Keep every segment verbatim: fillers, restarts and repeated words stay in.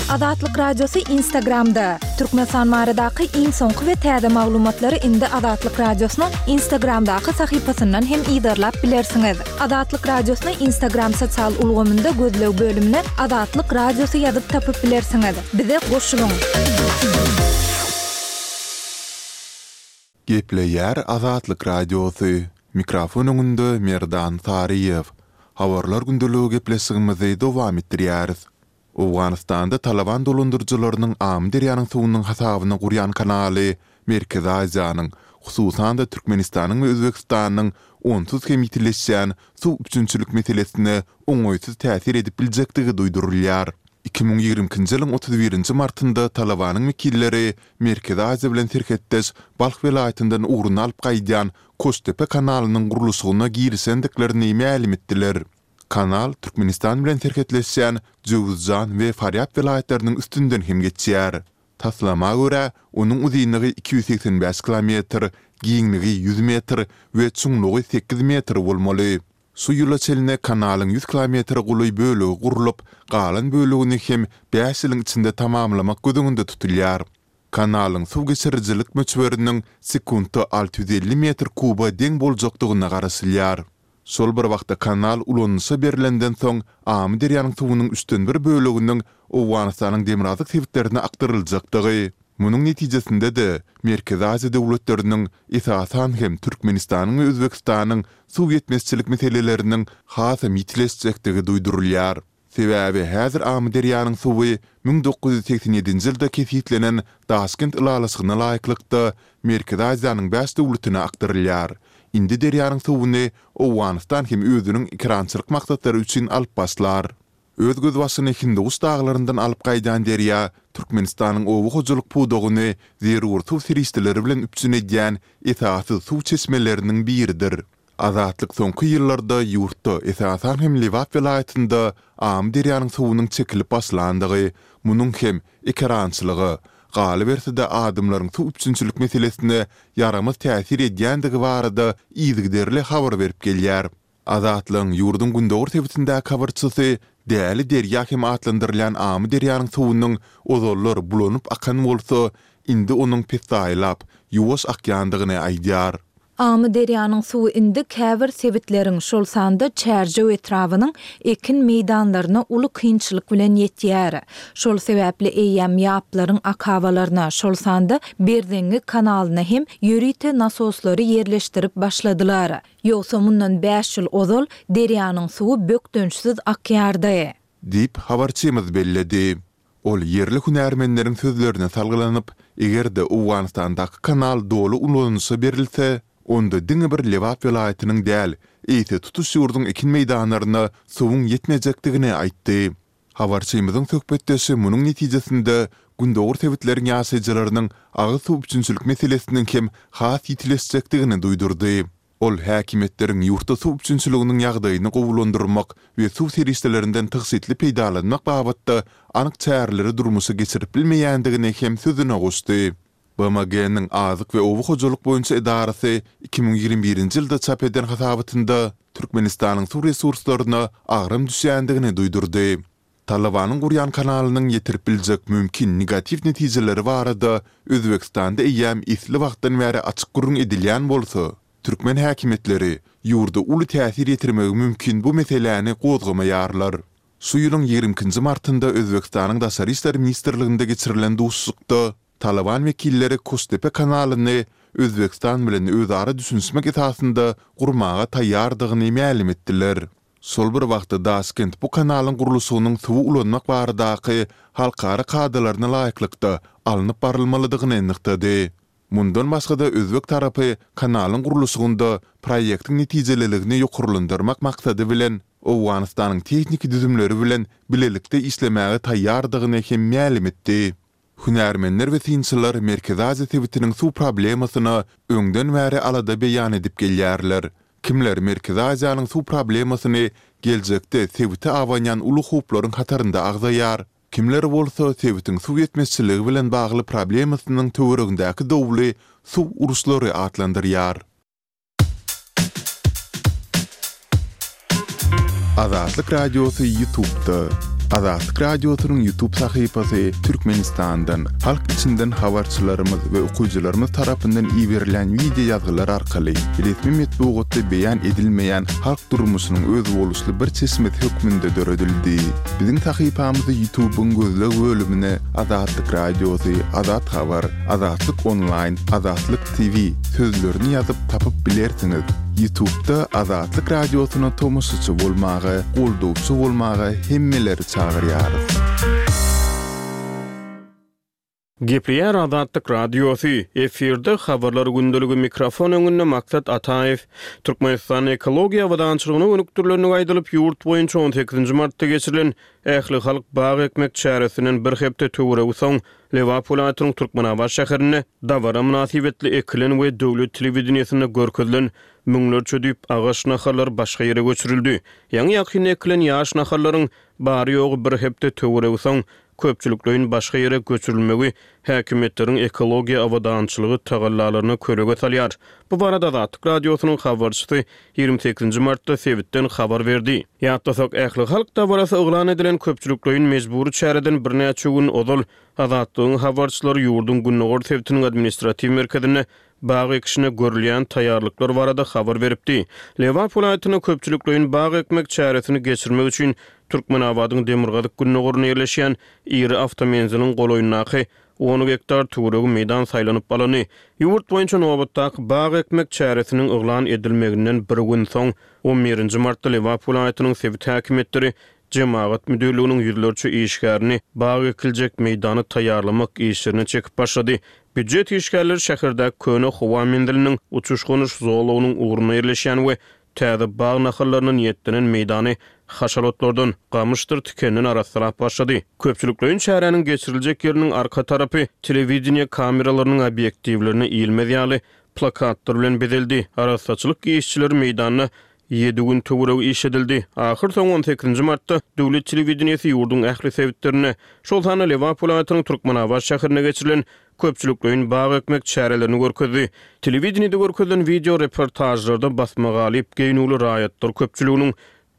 Azatlyk Radiosy Instagramda! Türkmenistan baradaky iň soňky we täze maglumatlary indi Azatlyk Radiosynyň Instagramdaky sahypasyndan hem yzarlap bilersiňiz. Azatlyk Radiosyny Instagram sosial ulgamynda gözleg bölümine Azatlyk Radiosy ýazyp tapyp bilersiňiz. Bize goşulyň! Gepleýär Azatlyk Radiosy, Mikrofon öňünde Merdan Saryýew. Habarlar gündeligi gepleşigimizi dowam etdirýäris. Owganystanda Talaban dolandyryjylarynyň Amyderýanyň suwunyň hasabyna gurýan kanaly Merkezi Aziýanyň, hususan-da Türkmenistanyň we Özbegistanyň onsuz hem ýitileşýän suw üpjünçilik meselesine oňaýsyz täsir edip biljekdigi duýdurylýar. Iki müň ýigrimi ikinji ýylyň otuz birinji martynda Talabanyň wekilleri Merkezi Aziýa bilen serhetdeş Balh welaýatyndan ugruny alyp gaýdýan Koştepe kanalynyň gurluşygyna girişendiklerini mälim etdiler. Kanal Türkmenistan bilen serhetleşýän Jöwüzjan we Farýab welaýatlarynyň üstünden hem geçýär. Taslama görä, onuň uzynlygy iki ýüz segsen bäş kilometr, giňligi ýüz metr we çuňlugy sekiz metr bolmaly. Şu ýyla çenli kanalyň ýüz kilometre golaý bölegi gurlup, galan bölegini hem bäş ýylyň içinde tamamlamak göz öňünde tutulýar. Kanalyň suw geçirijilik möçberiniň sekuntda alty ýüz elli metr kuba deň boljakdygyna garaşylýar. Şol bir wagtda kanal ulanylyşa berlenden soň Amyderýanyň suwunyň üçden bir böleginiň Owganystanyň demirgazyk sebitlerine akdyryljakdygy, munuň netijesinde-de Merkezi Aziýa döwletleriniň, esasan hem Türkmenistanyň we Özbegistanyň suw ýetmezçilik meseleleriniň hasam ýitileşjekdigi duýdurylýar. Sebäbi häzir Amyderýanyň suwy müň dokuz ýüz segsen ýedinji ýylda kesgitlenen Daşkent ylalaşygyna laýyklykda Merkezi Aziýanyň bäş döwletine akdyrylýar. Indi derýanyň suwuny Owganystan hem özüniň ekerançylyk maksatlary üçin alyp başlar. Öz gözbaşyny Hindiguş daglaryndan alyp gaýdýan derýa Türkmenistanyň oba hojalyk pudagyny zerur suw serişdeleri bilen üpjün edýän esasy suw çeşmeleriniň biridir. Azatlyk soňky ýyllarda ýurtda, esasan hem Lebap welaýatynda Amyderýanyň suwunyň çekilip başlandygy, munuň hem ekerançylyga, galyberse-de adamlaryň suw üpjünçilik meselesine ýaramaz täsir edýändigi barada yzygiderli habar berip gelýär. Azatlygyň ýurduň gündogar sebitindäki habarçysy Däli derýa hem atlandyrylýan Amyderýanyň suwunyň ozallar bulanyp akan bolsa, indi onuň pessaýlap, ýuwaş akýandygyny aýdýar. Amyderýanyň suwy indi käbir sebitleriň, şol sanda Çärjew etrabynyň ekin meýdanlaryna uly kynçylyk bilen ýetýär. Şol sebäpli eýýäm ýaplaryň akabalaryna, şol sanda Berzeňňi kanalyna hem ýörite nasoslary ýerleşdirip başladylar. Ýogsa mundan bäş ýyl ozal derýanyň suwy bökdençsiz akýardy. Diýip, habarçymyz belledi. Ol ýerli hünärmenleriň sözlerine salgylanyp, eger-de Owganystandaky kanal doly ulanylyşa berilse, onda diňe bir Lebap welaýatynyň däl, eýse tutuş ýurduň ekin meýdanlaryna suwuň ýetmejekdigini aýtdy. Habarçymyzyň söhbetdeşi munuň netijesinde gündogar sebitleriň ýaşaýjylarynyň agyz suw üpjünçilik meselesiniň hem has ýitileşjekdigini duýdurdy. Ol häkimiýetleriň ýurtda suw üpjünçiliginiň ýagdaýyny gowulandyrmak we suw serişdelerinden tygşytly peýdalanmak babatda anyk çäreleri durmuşa geçirip bilmeýändigini hem sözüne goşdy. B M G-niň Azyk we oba hojalyk boýunça edarasy iki müň ýigrimi birinji ýylda çap eden hasabatynda Türkmenistanyň suw resurslaryna agram düşýändigini duýdurdy. Talabanyň gurýan kanalynyň ýetirip biljek mümkin negatiw netijeleri barada Özbegistanda eýýäm esli wagtdan bäri açyk gürrüň edilýän bolsa, türkmen häkimiýetleri ýurda uly täsir ýetirmegi mümkin bu meseläni gozgamaýarlar. Şu ýylyň ýigrimi ikinji martynda Özbegistanyň Daşary işler ministrliginde geçirilen duşuşykda Talaban wekilleri Koştepe kanalyny Özbegistan bilen özara düşünişmek esasynda gurmaga taýýardygyny mälim etdiler. Şol bir wagtda Daşkent bu kanalyň gurluşygynyň suwy ulanmak baradaky halkara kadalaryna laýyklykda alnyp barylmalydygyny nygtady. Mundan başga-da özbek tarapy kanalyň gurluşygynda proýektiň netijeliligini ýokarlandyrmak maksady bilen Owganystanyň tehniki düzümleri bilen bilelikde işlemäge taýýardygyny hem mälim etdi. Hünärmenler we synçylar Merkezi Aziýa sebitiniň suw problemasyna öňden bäri alada beýan edip gelýärler. Kimler Merkezi Aziýanyň suw problemasyny geljekde sebite abanýan uly howplaryň hatarynda agzaýar, kimler bolsa sebitiň suw ýetmezçiligi bilen bagly problemasynyň töweregindäki dowly suw uruşlary atlandyrýar. Azatlyk Radiosy YouTube'da. Azatlyk Radiosynyň YouTube sahypasy Türkmenistandan, halk içinden habarçylarymyz we okyjylarymyz tarapyndan iberilen wideo ýazgylar arkaly resmi metbugatda beýan edilmeýän halk durmuşynyň özboluşly bir çeşmesi hökmünde döredildi. Biziň sahypamyzy YouTube-yň gözleg bölümine Azatlyk Radiosy, Azat Habar, Azatlyk Onlaýn, Azatlyk T V sözlerini ýazyp tapyp bilersiňiz. YouTube-da Azatlyk Radiosyna tomaşaçy bolmaga, goldawçy bolmaga hemmeleri çagyrýarys. Gepleýär Azatlyk Radiosy, efirde habarlar gündeligi mikrofon öňünde Maksat Ataýew. Türkmenistan ekologiýa abadançylygyna gönükdirilenligi aýdylyp, ýurt boýunça on sekizinji martda geçirilen ähli halk bag ekmek çäresinden bir hepde töweregi soň Lebap welaýatynyň Türkmenabat şäherinde dabara mynasybetli ekilen we döwlet telewideniýesinde görkezilen müňlerçe düýp agaç nahallar başga ýere göçürildi. Ýaňy ýakynda ekilen ýaş nahallaryň bary-ýogy bir hepde töweregi soň köpçülikleýin başga ýere göçürilmegi häkimiýetleriň ekologiýa abadançylygy tagallalaryna kölege salýar. Bu barada Azatlyk Radiosynyň habarçysy ýigrimi sekizinji martda sebitden habar berdi. Ýatlasak, ähli halk dabarasy yglan edilen köpçülikleýin mejbury çäreden birnäçe gün ozal Azatlygyň habarçylary ýurduň Gündogar sebitiniň administratiw merkezinde bag ekişine görülýän taýýarlyklar barada habar beripdi. Lebap welaýatynda köpçülikleýin bag ekmek çäresini geçirmek üçin Türkmenabadyň Demirgazyk Gündogarynda ýerleşýän iri awtomenziliň golaýyndaky on gektar töweregi meýdan saýlanyp alyndy. Ýurt boýunça nobatdaky bag ekmek çäresiniň yglan edilmeginden bir gün soň on birinji martda Lebap welaýatynyň sebit häkimiýetleri Cemagat müdürlüginiň ýüzlerçe işgärini bag ekiljek meýdany taýýarlamak işlerine çekip başlady. Býujet işgärleri şäherdäki köne howa menziliniň uçuş-gonuş zolagynyň ugruna ýerleşýän we täze bag nahallaryna niýetlenen meýdany haşalotlardan, gamyşdyr tikenden arassalap başlady. Köpçülikleýin çäräniň geçiriljek ýeriniň arka tarapy telewideniýe kameralarynyň obýektiwlerine ilmez ýaly plakatlar bilen bezeldi. Arassaçylyk işçileri meýdanda ýedi gün töweregi iş edildi. Ahyr soň on sekizinji martda döwlet telewideniýesi ýurduň ähli sebitlerinde, şol sanda Lebap welaýatynyň Türkmenabat şäherine geçirilen köpçülikleýin bag ekmek çärelerini görkezdi. Telewideniýede görkezilen video reportajlarda basma galyp geýnüwli raýatlar köpçüliginiň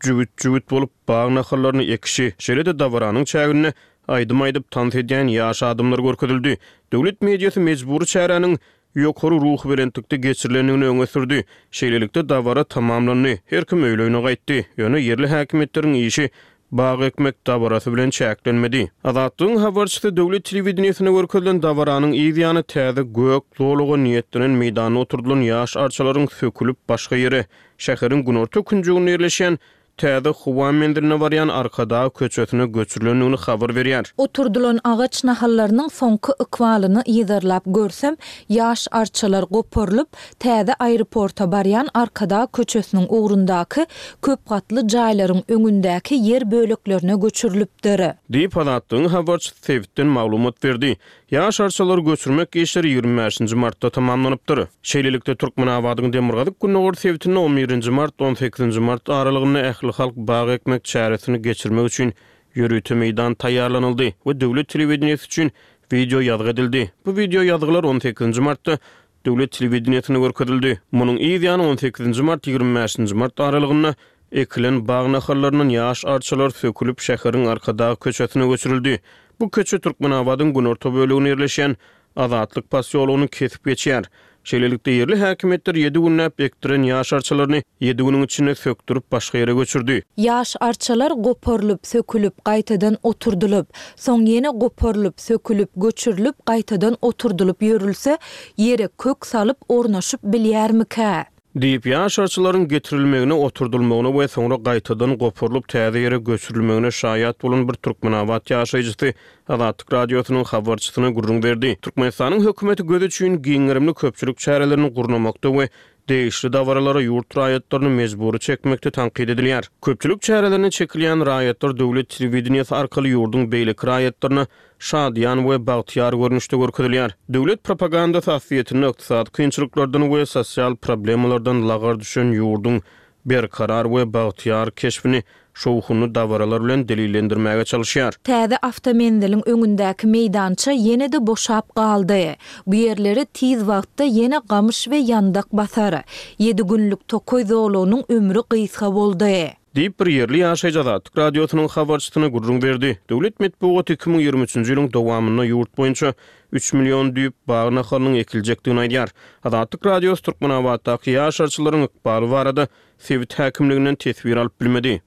jübüt-jübüt bolup bag nahallaryny ekişi, şeýle-de dabaranyň çäginde aýdym aýdyp tans edýän ýaş adamlar görkezildi. Döwlet mediasy mejbury çäräniň ýokary ruhubelentlikde geçirilendigini öňe sürdi. Şeýlelikde dabara tamamlandy. Her kim öýlerine gaýtdy. Ýöne ýerli häkimiýetleriň işi bag ekmek dabarasy bilen çäklenmedi. Azatlygyň habarçysy döwlet telewideniýesine görkezilen dabaranyň yz ýany täze gök zolaga niýetlenen meýdanda oturdylan ýaş arçalaryň sökülip başga ýere, şäheriň günorta künjeginde ýerleşýän täze howa menziline barýan Arkadag köçesine göçürilendigini habar berýär. Oturdylan agaç nahallarynyň soňky ykbalyny yzarlap görsem, ýaş arçalar goparylyp, täze aeroporta barýan Arkadag köçesiniň ugrundaky köp gatly jaýlaryň öňündäki ýer böleklerine göçürilipdir. Diýip Azatlygyň habarçysy sebitden maglumat berdi. Ýaş arçalary göçürmek işleri ýigrimi bäşinji martda tamamlanypdyr. Şeýlelikde Türkmenabadyň Demirgazyk Gündogar sebitinde on birinji mart on sekizinji mart aralygynda ähli halk bag ekmek çäresini geçirmek üçin ýörite meýdan taýýarlanyldy we döwlet telewideniýesi üçin video ýazgy edildi. Bu video ýazgylar on sekizinji martda döwlet telewideniýesine görkezildi. Munuň yz ýany on sekizinji mart ýigrimi bäşinji mart aralygynda ekilen bag nahallaryndan ýaş arçalar sökülip şäheriň Arkadag köçesine göçürildi. Bu köçe Türkmenabadyň günorta böleginde ýerleşýän Azatlyk posýologyny kesip geçýär. Şeýlelikde ýerli häkimiýetler ýedi günläp ekdiren ýaş arçalaryny ýedi günüň içinde sökdürip başga ýere göçürdi. Ýaş arçalar goparylyp, sökülip, gaýtadan oturdylyp, soň ýene goparylyp, sökülip, göçürilip, gaýtadan oturdylyp ýörülse, ýere kök salyp ornaşyp bilýärmikä? Diýip, ýaş arçalaryň getirilmegine, oturdylmagyna we soňra gaýtadan goparylyp täze ýere göçürilmegine şaýat bolan bir Türkmenabat ýaşaýjysy Azatlyk Radiosynyň habarçysyna gürrüň berdi. Türkmenistanyň hökümeti göz üçin giň gerimli köpçülik çärelerini gurnamakda we degişli dabaralara ýurt raýatlaryny mejbury çekmekde tankyt edilýär. Köpçülik çärelerine çekilýän raýatlar döwlet telewideniýesi arkaly ýurduň beýleki raýatlaryna şadyýan we bagtyýar görnüşde görkezilýär. Döwlet propagandasy aslyýetinde ykdysady kynçylyklardan we sosial problemalardan lagar düşen ýurduň berkarar we bagtyýar keşbini şowhunly dabaralar bilen delillendirmäge çalışýar. Täze awtomenziliň öňündäki meýdança ýene-de boşap galdy. Bu ýerleri tiz wagtda ýene gamyş we ýandak basar. Ýedi günlük tokaý zolagynyň ömri gysga boldy. Diýip, bir ýerli ýaşaýjy Azatlyk Radiosynyň habarçysyna gürrüň berdi. Döwlet metbugaty iki müň ýigrimi üçünji ýylyň dowamynda ýurt boýunça üç million düýp bag nahalynyň ekiljekdigini aýdýar. Azatlyk Radiosy Türkmenabatdaky ýaş arçylaryň ykbaly barada sebit häkimliginden teswir alyp bilmedi.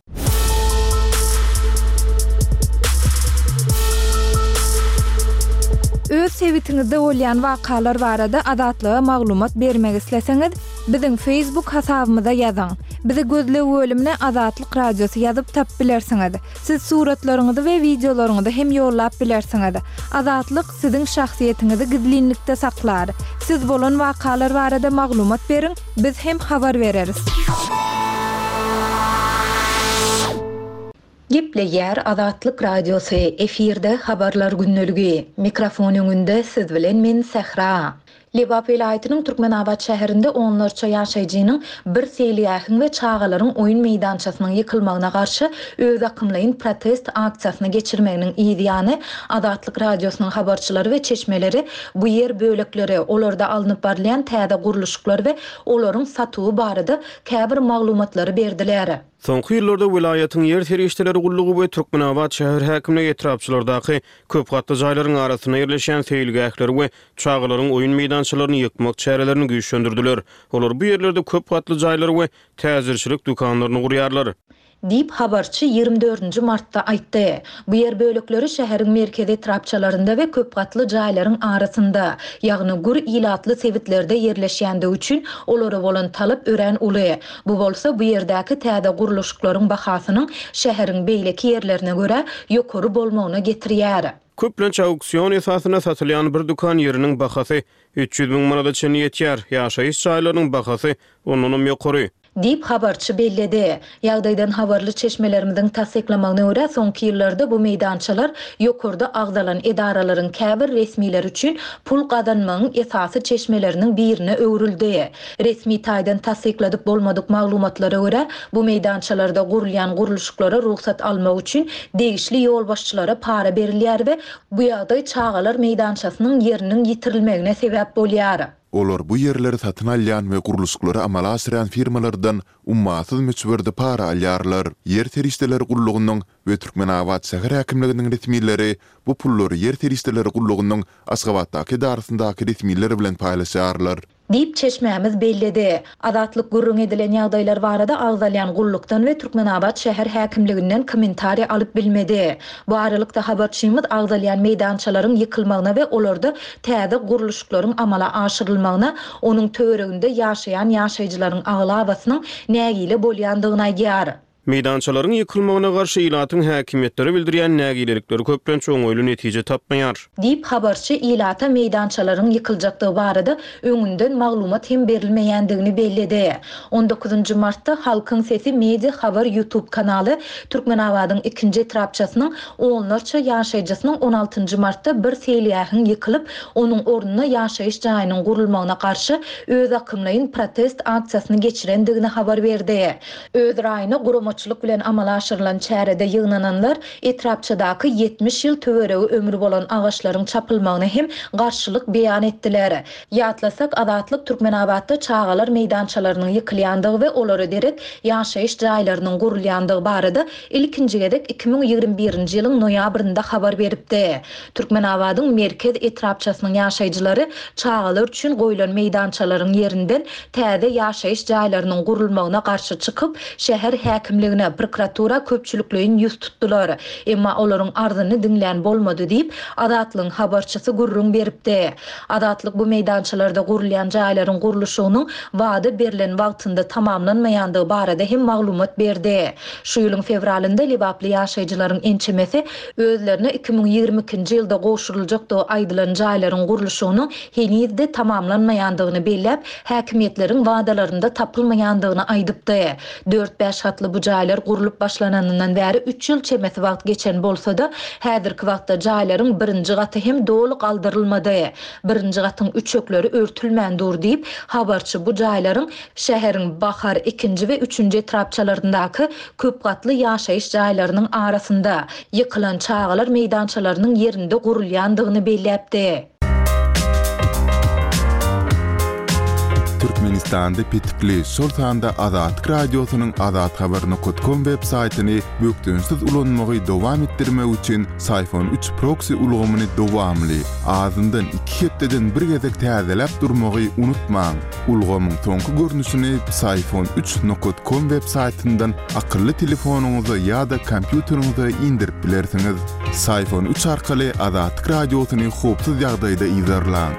Öz sebitiňizde bolýan wakalar barada Azatlyga maglumat bermek isleseňiz, biziň Facebook hasabymyza ýazyň. Bizi gözleg bölümine Azatlyk Radiosy ýazyp tapyp bilersiňiz. Siz suratlaryňyzy we wideolaryňyzy hem ýollap bilersiňiz. Azatlyk siziň şahsyýetiňizi gizlinlikde saklar. Siz bolan wakalar barada maglumat beriň, biz hem habar bereris. Gepleýär Azatlyk Radiosy, efirde Habarlar gündeligi. Mikrofon öňünde siz bilen men Sähra. Lebap welaýatynyň Türkmenabat şäherinde onlarça ýaşaýjynyň bir seýilgähiň we çagalaryň oýun meýdançasynyň ýykylmagyna garşy özakymlaýyn protest aksiýasyny geçirmeginiň yz ýany, Azatlyk Radiosynyň habarçylary we çeşmeleri bu ýer bölekleri, olarda alnyp barylýan täze gurluşyklar we olaryň satuwy barada käbir maglumatlary berdiler. Soňky ýyllarda welaýatyň ýer serişdeleri gullugy we Türkmenabat şäher häkimligi etrapçalardaky köp gatly jaýlaryň arasynda ýerleşýän seýilgähleri we çagalaryň oýun meýdançalaryny ýykmak çärelerini güýçlendirdiler. Olar bu ýerlerde köp gatly jaýlary we täjirçilik dükanlaryny gurýarlar. Diýip, habarçy ýigrimi dördünji martda aýtdy. Bu ýer bölekleri şäheriň merkezi etrapçalarynda we köp gatly jaýlaryň arasynda, ýagny gür ilatly sebitlerde ýerleşýändigi üçin olara bolan talap örän uly. Bu bolsa bu ýerdäki täze gurluşyklaryň bahasynyň şäheriň beýleki ýerlerine görä ýokary bolmagyna getirýär. Köplenç auksion esasynda satylýan bir dükan ýeriniň bahasy üç ýüz müň manada çenli ýetýär, ýaşaýyş jaýlarynyň bahasy ondanam ýokary. Diýip, habarçy belledi. Ýagdaýdan habarly çeşmelerimiziň tassyklamagyna görä, soňky ýyllarda bu meýdançalar ýokarda agzalan edaralaryň käbir resmileri üçin pul gazanmagyň esasy çeşmeleriniň birine öwrüldi. Resmi taýdan tassykladyp bolmadyk maglumatlara görä, bu meýdançalarda gurulýan gurluşyklara rugsat almak üçin degişli ýolbaşçylara para berilýär we bu ýagdaý çagalar meýdançasynyň ýeriniň ýitirilmegine sebäp bolýar. Olar bu ýerleri satyn alýan we gurluşyklary amala aşyrýan firmalardan ummasyz möçberde para alýarlar. Ýer serişdeleri gullugynyň we Türkmenabat şäher häkimliginiň resmileri bu pullary Ýer serişdeleri gullugynyň Aşgabatdaky edarasyndaky resmiler bilen paýlaşýarlar. Diýip, çeşmämiz belledi. Azatlyk gürrüň edilen ýagdaýlar barada agzalýan gullukdan we Türkmenabat şäher häkimliginden kommentariý alyp bilmedi. Bu aralykda, habarçymyz agzalýan meýdançalaryň ýykylmagyna we olarda täze gurluşyklaryň amala aşyrylmagyna onuň töwereginde ýaşaýan ýaşaýjylaryň aglabasynyň nägile bolýandygyny aýdýar. Meýdançalaryň ýykylmagyna garşy ilatyň häkimiýetlere bildirýän nägilelikleri köplenç oňaýly netije tapmaýar. Diýip, habarçy ilata meýdançalaryň ýykyljakdygy barada öňünden maglumat hem berilmeýändigini belledi. On dokuzynjy martda Halkyň sesi media habar YouTube kanaly Türkmenabadyň ikinji etrapçasynyň onlarça ýaşaýjysynyň on altynjy martda bir seýilgähiň ýykylyp, onuň ornuna ýaşaýyş jaýynyň gurulmagyna garşy özakymlaýyn protest aksiýasyny geçirendigini habar berdi. Öz raýyna guramaçylyk bilen amala aşyrylan çärede ýygnananlar etrapçadaky ýetmiş ýyl töweregi ömri bolan agaçlaryň çapylmagyna hem garşylyk beýan etdiler. Ýatlasak, Azatlyk Türkmenabatda çagalar meýdançalarynyň ýykylýandygy we olara derek ýaşaýyş jaýlarynyň gurulýandygy barada ilkinji gezek iki müň ýigrimi birinji ýylyň noýabrynda habar beripdi. Türkmenabadyň merkez etrapçasynyň ýaşaýjylary çagalar üçin goýlan meýdançalaryň ýerinden täze ýaşaýyş jaýlarynyň gurulmagyna garşy çykyp, şäher häkimligine, prokuratura köpçülikleýin ýüz tutdular. Emma olaryň arzyny diňlän bolmady diýip, Azatlygyň habarçysy gürrüň beripdi. Azatlyk bu meýdançalarda gurulýan jaýlaryň gurluşygynyň wada berlen wagtynda tamamlanmaýandygy barada hem maglumat berdi. Şu ýylyň fewralynda lebaply ýaşaýjylaryň ençemesi özlerine iki müň ýigrimi ikinji ýylda gowşuryljakdygy aýdylan jaýlaryň gurluşygynyň heniz-de tamamlanmaýandygyny belläp, häkimiýetleriň wadalarynda tapylmaýandygyny aýdypdy. Dört-bäş gatly bu jaýlar gurlup başlananyndan bäri üç ýyl çemesi wagt geçen bolsa-da, häzirki wagtda jaýlaryň birinji gaty hem doly galdyrylmady. Birinji gatyň üçekleri örtülmän dur diýip, habarçy bu jaýlaryň şäheriň Bahar, ikinji we üçünji etrapçalaryndaky köp gatly ýaşaýyş jaýlarynyň arasynda, ýykylan çagalar meýdançalarynyň ýerinde gurulýandygyny belläpdi. Türkmenistanda petikli, şol sanda Azatlyk Radiosynyň azathabar nokat kom web saýtyny bökdençsiz ulanmagy dowam etdirmek üçin Syfon üç proksi ulgamyny dowamly, azyndan iki hepdeden bir gezek täzeläp durmagy unutmaň. Ulgamyň soňky görnüşini Psiphon üç nokat kom web saýtyndan akylly telefonyňyza ýa-da kompýuteriňize indirip bilersiňiz. Psiphon üç arkaly Azatlyk Radiosyny howpsuz ýagdaýda yzarlaň.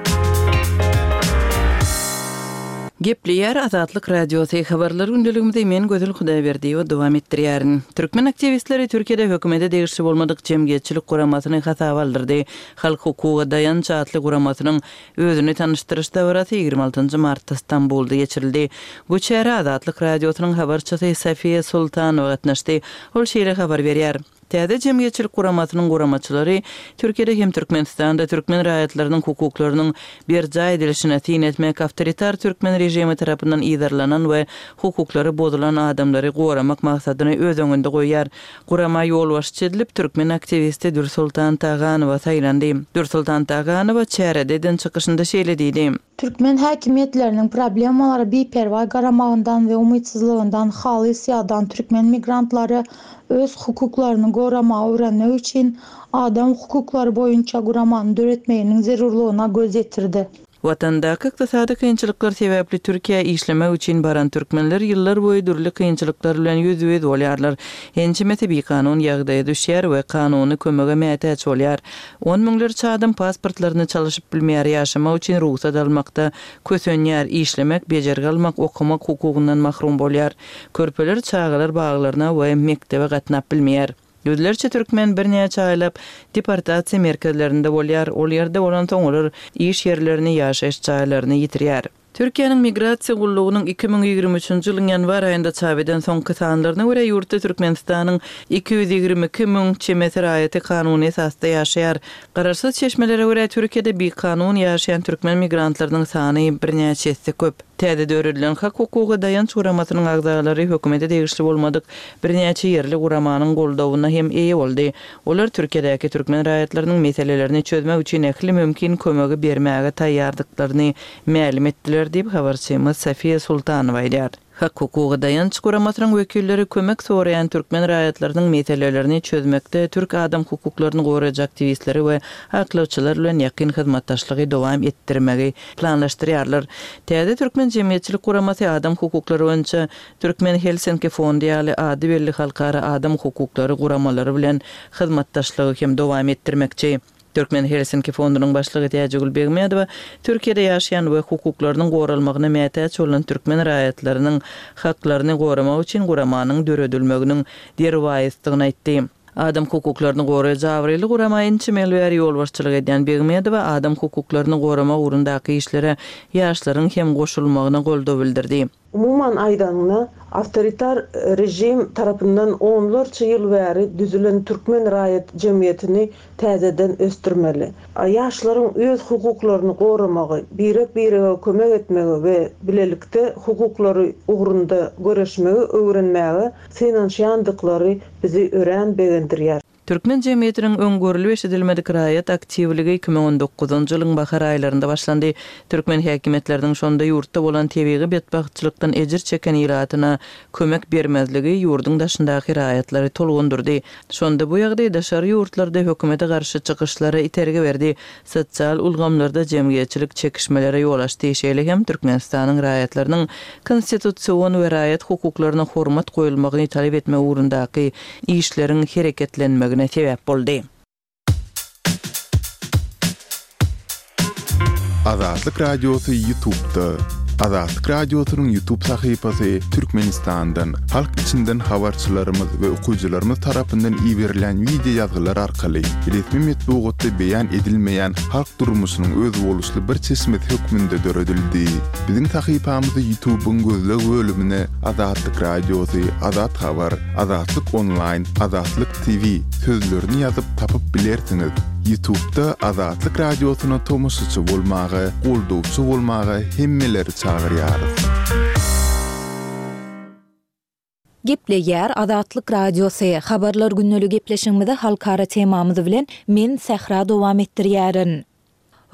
Gepleýär Azatlyk Radiosy, Habarlar gündeligimizi men Gözel Hudaýberdiýewa dowam etdirýärin. Türkmen aktiwistleri Türkiýede hökümete degişli bolmadyk jemgyýetçilik guramasyny hasaba aldyrdy. Halk hukuga daýanç atly guramasynyň Özüni tanyşdyryş dabarasy ýigrimi altynjy martda Stambulda geçirildi. Bu çärä Azatlyk Radiosynyň habarçysy Sofiýa Sultanowa gatnaşdy. Ol şeýle habar berýär, Täze jemgyýetçilik guramasynyň guramaçylary Türkiýede hem Türkmenistanda türkmen raýatlarynyň hukuklarynyň berjaý edilişine syn etmek, awtoritar türkmen režimi tarapyndan yzarlanan we hukuklary bozulan adamlary goramak maksadyny öz öňünde goýýar. Gurama ýolbaşçy edilip, türkmen aktiwisti Dürsoltan Taganowa saýlandy. Dürsoltan Taganowa çärede eden çykyşynda şeýle diýdi. Türkmen häkimiýetleriniň problemalara biperwaý garamagyndan we umytsyzlygyndan halys ýadan türkmen migrantlary öz hukuklaryny goramagy öwrenmek üçin adam hukuklary boýunça guramany döretmeginiň zerurlygyna göz ýetirdi. Watandaky ykdysady kynçylyklar sebäpli Türkiýä işlemek üçin baran türkmenler ýyllar boýy dürli kynçylyklar bilen ýüzbe-ýüz bolýarlar. Ençemesi bikanun ýagdaýa düşýär we kanuny kömege mätäç bolýar. On müňlerçe adam pasportlaryny çalyşyp bilmeýär, ýaşamak üçin rugsat almakda kösenýär, işlemek, bejergi almak, okamak hukugyndan mahrum bolýar. Körpeler çagalar baglaryna we mekdebe gatnap bilmeýär. Ýüzlerçe türkmen birnäçe aýlap deportasiýa merkezlerinde bolýar, ol ýerde bolansoň olar iş ýerlerini, ýaşaýyş jaýlaryny ýitirýär. Türkiýäniň Migrasiýa gullugynyň iki müň ýigrimi üçünji ýylyň ýanwar aýynda çap eden soňky sanlaryna görä, ýurtda Türkmenistanyň iki ýüz ýigrimi iki müň çemesi raýaty kanuny esasda ýaşaýar. Garaşsyz çeşmelere görä, Türkiýede bikanun ýaşaýan türkmen migrantlarynyň sany birnäçe esse köp. Täze döredilen Hak-hukuga daýanç guramasynyň agzalary hökümete degişli bolmadyk birnäçe ýerli guramanyň goldawyna hem eýe boldy. Olar Türkiýedäki türkmen raýatlarynyň meselelerini çözmek üçin ähli mümkin kömegi bermäge taýýardyklaryny mälim etdiler diýip, habarçymyz Sofiýa Sultanowa aýdýar. Hak-hukuga daýanç guramasynyň wekilleri kömek soraýan türkmen raýatlarynyň meselelerini çözmekde türk adam hukuklaryny goraýjy aktiwistleri we aklawçylar bilen ýakyn hyzmatdaşlygy dowam etdirmegi planlaşdyrýarlar. Täze türkmen jemgyýetçilik guramasy adam hukuklary boýunça Türkmen Helsinki fondy ýaly ady belli halkara adam hukuklary guramalary bilen hyzmatdaşlygy hem dowam etdirmekçi. Türkmen Helsinki fondunyň başlygy Täjigül Begmedowa Türkiýede ýaşaýan we hukuklarynyň goralmagyna mätäç bolan türkmen raýatlarynyň haklaryny goramak üçin guramanyň döredilmeginiň derwaýysdygyny aýtdy. Adam hukuklaryny goraýjy abraýly gurama ençeme ýyl bäri ýolbaşçylyk edýän Begmedowa adam hukuklaryny goramak ugrundaky işlere ýaşlaryň hem goşulmagyna goldaw bildirdi. Umuman aýdanyňda, awtoritar režim tarapyndan onlarça ýyl bäri düzülen türkmen raýat jemgyýetini täzeden ösdürmeli. Ýaşlaryň öz hukuklaryny goramagy, birek-birege kömek etmegi we bilelikde hukuklary ugrunda göreşmegi öwrenmäge synanyşýandyklary bizi örän begendirýär. Türkmen jemgyýetiniň öň görlüp-eşidilmedik raýat aktiwligi iki müň on dokuzynjy ýylyň bahar aýlarynda başlandy. Türkmen häkimiýetleriniň şonda ýurtda bolan tebigy betbagtçylykdan ejir çeken ilatyna kömek bermezligi ýurduň daşyndaky raýatlary tolgundyrdy. Şonda bu ýagdaý daşary ýurtlarda hökümete garşy çykyşlara itergi berdi, sosial ulgamlarda jemgyýetçilik çekişmelere ýol açdy, şeýle hem Türkmenistanyň raýatlarynyň konstitusion we raýat hukuklaryna hormat goýulmagyny talap etmek ugrundaky işleriň hereketlenmegine sebäp boldy. Azatlyk Radiosy Ýutubda. Azatlyk Radiosynyň Ýutub sahypasy Türkmenistandan, halk içinden habarçylarymyz we okyjylarymyz tarapyndan iberilýän wideo ýazgylar arkaly resmi metbugatda beýan edilmeýän halk durmuşynyň özboluşly bir çeşmesi hökmünde döredildi. Biziň sahypamyzy Ýutubyň gözleg bölümine Azatlyk Radiosy, Azat Habar, Azatlyk Onlaýn, Azatlyk T V sözlerini ýazyp tapyp bilersiňiz. Ýutubda Azatlyk Radiosyna tomaşaçy bolmaga, goldawçy bolmaga hemmeleri çagyrýarys. Gepleýär Azatlyk Radiosy, Habarlar gündeli gepleşigimizi halkara temamyz bilen men Sähra dowam etdirýärin.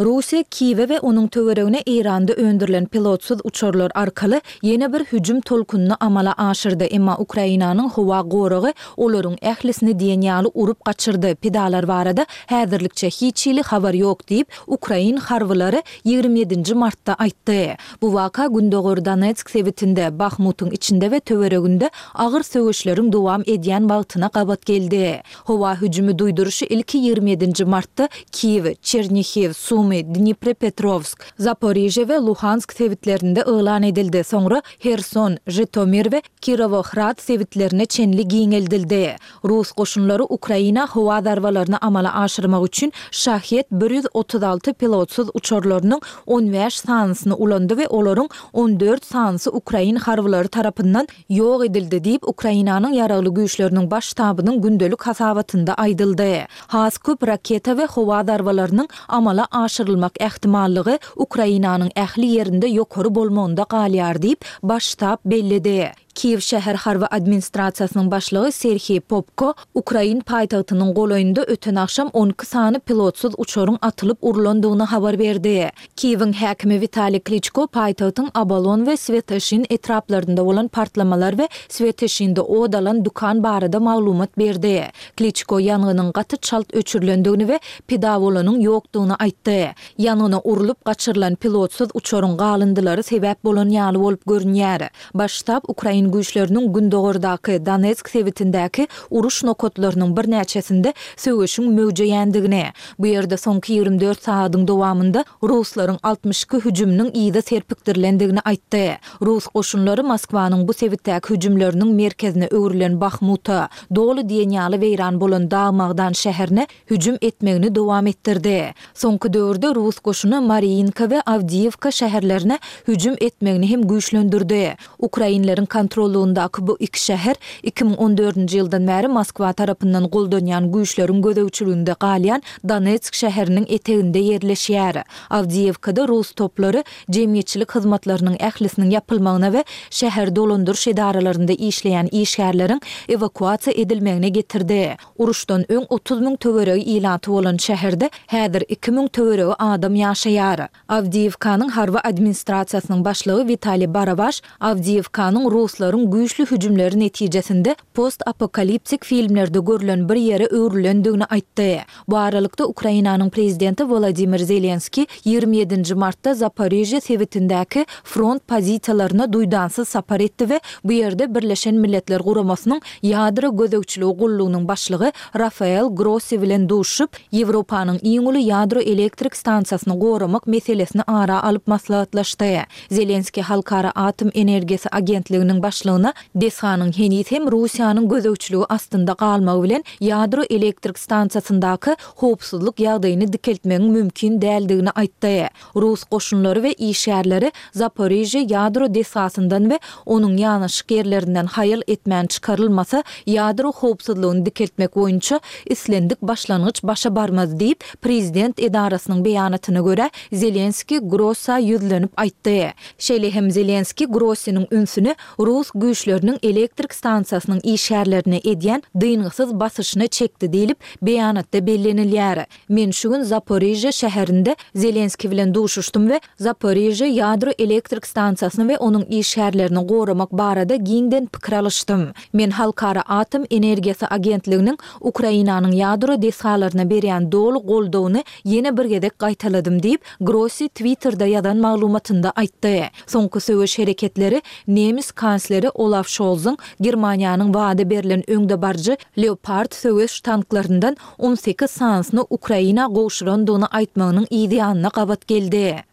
Russiýa Kiýewe we onuň töweregine Eýranda öndürilen pilotsyz uçarlar arkaly ýene bir hüjüm tolkunyny amala aşyrdy, emma Ukrainanyň howa goragy olaryň ählisini diýen ýaly urup gaçyrdy, pidalar barada häzirlikçe hiç hili habar ýok diýip, ukrain harbylary ýigrimi ýedinji martda aýtdy. Bu waka gündogar Donetsk sebitinde, Bahmutyň içinde we töwereginde agyr söweşleriň dowam edýän wagtyna gabat geldi. Howa hüjümi duýduryşy ilki ýigrimi ýedinji martda Kiýew, Çernihiw, Sumy, Dniprepetrowsk, Zaporižýe we Luhansk sebitlerinde yglan edildi, soňra Herson, Žitomir we Kirowohrad sebitlerine çenli giňeldildi. Rus goşunlary Ukraina howa zarbalaryny amala aşyrmak üçin Şahed bir ýüz otuz alty pilotsyz uçarlarynyň on bäş sanysyny ulandy we olaryň on dört sanysy ukrain harbylary tarapyndan ýok edildi diýip, Ukrainanyň Ýaragly Güýçleriniň Baş ştabynyň gündelik hasabatynda aýdyldy. Has köp raketa we howa zarbalarynyň amala aşyrylmak ähtimallygy Ukrainanyň ähli ýerinde ýokary bolmagynda galýar diýip, Baş ştab belledi. Kiýew şäher harby administrasiýasynyň başlygy Serhiý Popko ukrain paýtagtynyň golaýynda öten agşam on iki sany pilotsyz uçaryň atylyp urlandygyny habar berdi. Kiýewiň häkimi Witaliý Kliçko paýtagtyň Obolon we Swetoşin etraplarynda bolan partlamalar we Swetoşinde ot alan dükan barada maglumat berdi. Kliçko ýangynyň gaty çalt öçürilendigini we pida bolanyň ýokdugyny aýtdy. Ýangyna urlup gaçyrylan pilotsyz uçaryň galyndylary sebäp bolan ýaly bolup görünýär. Baş ştab ukrain güýçleriniň gündogardaky, Donetsk sebitindäki uruş nokatlarynyň birnäçesinde söweşiň möwjeýändigini, bu ýerde soňky ýigrimi dört sagadyň dowamynda ruslaryň altmyş iki hüjüminiň yza serpikdirilendigini aýtdy. Rus goşunlary Moskwanyň bu sebitdäki hüjümleriniň merkezine öwrülen Bahmuta, doly diýen ýaly weýran bolan dag-magdan şäherine hüjüm etmegini dowam etdirdi. Soňky döwürde rus goşuny Mariinka we Awdiýewka şäherlerine hüjüm etmegini hem güýçlendirdi. Ukrainleriň kontrollygyndaky bu iki şäher iki müň on dördünji ýyldan bäri Moskwa tarapyndan goldanýan güýçleriň gözegçiliginde galýan Donetsk şäheriniň eteginde ýerleşýär. Awdiýewkada rus toplary jemgyýetçilik hyzmatlarynyň ählisiniň ýapylmagyna we şäher dolandyryş edaralarynda işleýän işgärleriň ewakuasiýa edilmegine getirdi. Uruşdan öň otuz müň töweregi ilaty bolan şäherde häzir iki müň töweregi adam ýaşaýar. Awdiýewkanyň harby administrasiýasynyň başlygy Witaliý Barabaş Awdiýewkanyň ruslaryň güýçli hüjümleri netijesinde post-apokaliptik filmlerde görlen bir ýere öwrülendigini aýtdy. Bu aralykda, Ukrainanyň prezidenti Wolodymyr Zelenskiý ýigrimi ýedinji martda Zaporižýe sebitindäki front pozisiýalaryna duýdansyz sapar etdi we bu ýerde Birleşen Milletler Guramasynyň Ýadro gözegçiligi gullugynyň başlygy Rafael Grossi bilen duşuşyp, Ýewropanyň iň uly ýadro elektrik stansiýasyny goramak meselesini ara alyp maslahatlaşdy. Zelenskiý Halkara atom energiýasy agentliginiň başlygyna desganyň heniz hem Russiýanyň gözegçiligi astynda galmagy bilen ýadro elektrik stansiýasyndaky howpsuzlyk ýagdaýyny dikeltmegiň mümkin däldigini aýtdy. Rus goşunlary we işgärleri Zaporižýe ýadro desgasyndan we onuň ýanaşyk ýerlerinden haýal etmän çykarylmasa, ýadro howpsuzlygyny dikeltmek boýunça islendik başlangyç başa barmaz diýip, prezident edarasynyň beýanatyna görä, Zelenskiý Grossa ýüzlenip aýtdy. Şeýle hem Zelenskiý Grossiniň ünsüni rus güýçleriniň elektrik stansiýasynyň işgärlerine edýän dyngysyz basyşyna çekdi diýlip, beýanatda bellenilýär. Men şu gün Zaporižýe şäherinde Zelenskiý bilen duşuşdym we Zaporižýe ýadro elektrik stansiýasyny we onuň işgärlerini goramak barada giňden pikir alyşdym. Men Halkara atom energiýasy agentliginiň Ukrainanyň ýadro desgalaryna berýän doly goldawyny ýene bir gezek gaýtaladym diýip, Grossi Twitterde ýazan maglumatynda aýtdy. Soňky söweş hereketleri nemes kansleri Olaf Şolzyň Germaniýanyň wada berlen öňdebaryjy Leopard söweş tanklaryndan on sekiz sanysyny Ukraina gowşurandygyny aýtmagynyň yz ýanyna gabat geldi.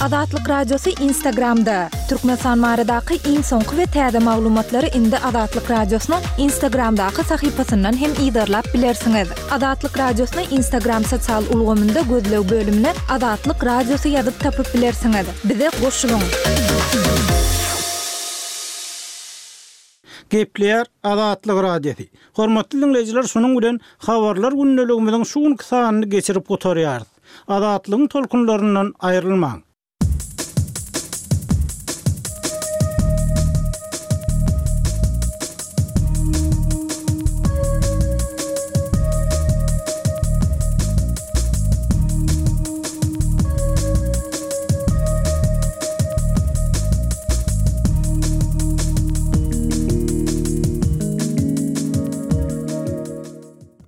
Azatlyk Radiosy Instagramda, Türkmenistan baradaky iň soňky we täze maglumatlary indi Azatlyk Radiosynyň Instagramdaky sahypasyndan hem yzarlap bilersiňiz. Azatlyk Radiosyny Instagram sosial ulgamynda gözleg bölümine Azatlyk Radiosy ýazyp tapyp bilersiňiz. Bize goşulyň! Gepleýär Azatlyk Radiosy. Hormatly diňleýjiler, şunuň bilen Habarlar gündeligimiziň şu günki sanyny geçirip gutarýarys. Azatlygyň tolkunlaryndan aýrylmaň!